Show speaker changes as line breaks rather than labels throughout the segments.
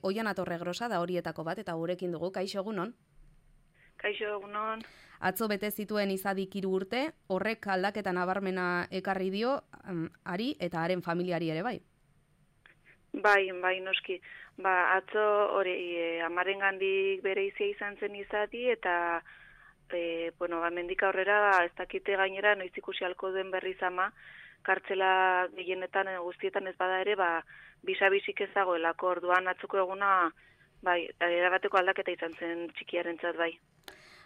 Oiana Torregrosa da horietako bat eta gurekin dugu, kaixo egunon.
Kaixo egunon.
Atzo bete zituen izadik 3 urte, horrek aldaketa nabarmena ekarri dio ari eta haren familiari ere bai.
Bai, noski. Atzo hori amarengandik bere izia izan zen izati eta mendik aurrera ez dakite gainera noiz ikusi halko duen berriz ama, kartzela gehienetan guztietan ez bada ere, bisa-bisik ezagoelako orduan atzoko eguna, erabateko aldaketa izan zen txikiarentzat bai.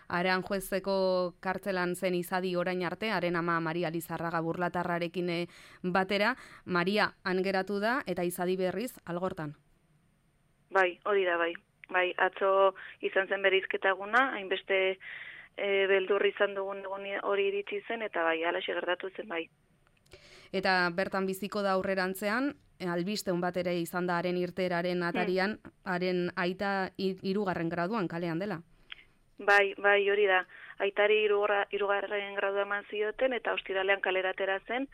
Aranjuezeko kartzelan zen izadi orain arte, haren ama Maria Lizarraga Burlatarrarekin batera, Maria han geratu da eta izadi berriz algortan.
Bai, hori da bai. Bai, atzo izan zen bereizketa eguna, hainbeste beldurri izan dugun egun hori iritsi zen eta bai, halaxe gertatu zen bai.
Eta bertan biziko da aurrerantzean, albisteun bat ere izan da haren irteeraren atarian, haren aita 3. graduan kalean dela.
Bai, hori da. Aitari 3. gradua eman zioten eta ostiralean kalera atera zen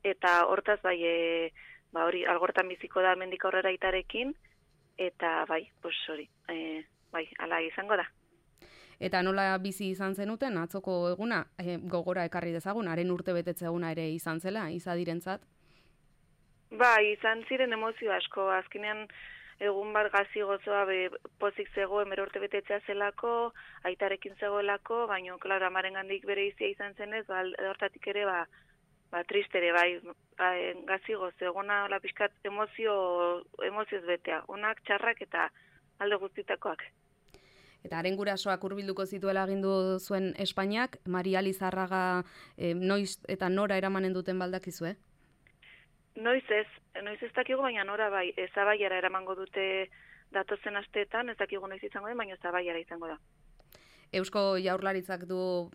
eta hortaz hori algortan biziko da hemendik aurrera aitarekin eta hala izango da.
Eta nola bizi izan zenuten atzoko eguna, gogora ekarri dezagun, haren urtebetetze eguna ere izan zela, izadirentzat?
Bai, izan ziren emozio asko, azkenean egun bat gazi gozoa pozik zego 10 urtebetetzea zelako, aitarekin zegoelako, baina, klaro, amarengandik bere izia izan zenez, hortatik ere, tristere, gazi gozo, eguna hola pixkat emozioz betea, onak, txarrak eta alde guztitakoak.
Eta haren gurasoak hurbilduko zituela agindu zuen Espainiak, Maria Lizarraga noiz eta nora eramanen duten baldakizue?
Noiz ez dakigu, baina nora bai, Zabaiara eramango dute datozen asteetan, ez dakigu noiz izango den, baina Zabaiara izango da.
Eusko Jaurlaritzak du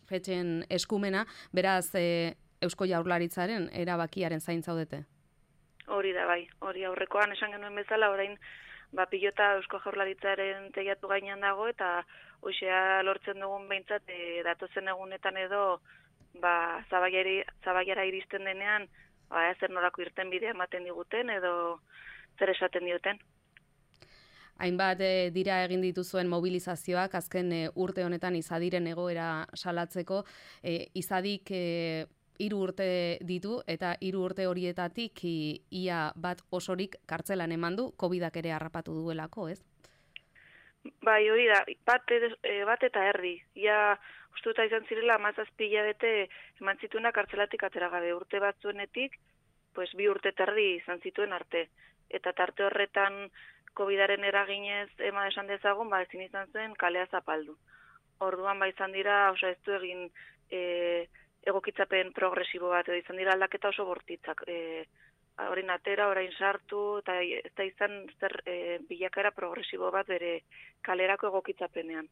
fetxen eskumena, beraz Eusko Jaurlaritzaren erabakiaren zain zaudete?
Hori da bai, hori aurrekoan esan genuen bezala, orain pilota Eusko Jaurlaritzaren teilatu gainean dago eta hoxea lortzen dugun behintzat datozen egunetan edo Zabaiara iristen denean zer norako irten bidea ematen diguten edo zer esaten dioten.
Hainbat dira egin dituzuen mobilizazioak azken urte honetan izadiren egoera salatzeko, izadik 3 urte ditu eta 3 urte horietatik ia bat osorik kartzelan eman du, COVID-ak ere harrapatu duelako, ez?
Bai, hori da, bat eta erdi. Ia ustuta izan zirela 17 hilabete eman zituena kartzelatik atera gabe. Urte batzuenetik, 2 urte eta erdi izan zituen arte. Eta tarte horretan COVID-aren eraginez esan dezagun, ezin izan zen kalea zapaldu. Orduan izan dira, ez du egin egokitzapen progresibo bat, edo izan dira aldaketa oso bortitzak. Orain atera, orain sartu, eta ez da izan bilakaera progresibo bat bere kalerako egokitzapenean.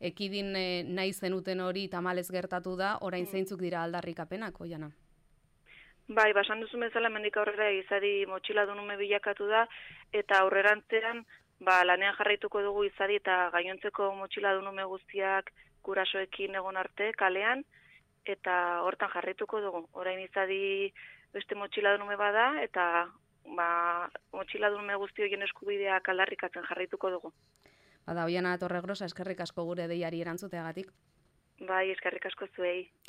Ekidin nahi zenuten hori tamalez gertatu da, orain zeintzuk dira aldarrikapenak, Oiana?
Bai, basan duzu bezala hemendik aurrera izadi motxiladunume bilakatu da, eta aurrerantzean lanean jarraituko dugu izadi eta gainontzeko motxiladunume guztiak gurasoekin egon arte kalean, eta hortan jarraituko dugu. Orain izadi beste motxiladunume bada, eta motxiladunume guzti horien eskubideak aldarrikatzen jarraituko dugu.
Oiana Torregrosa, eskerrik asko gure deiari erantzuteagatik.
Bai, eskerrik asko zuei.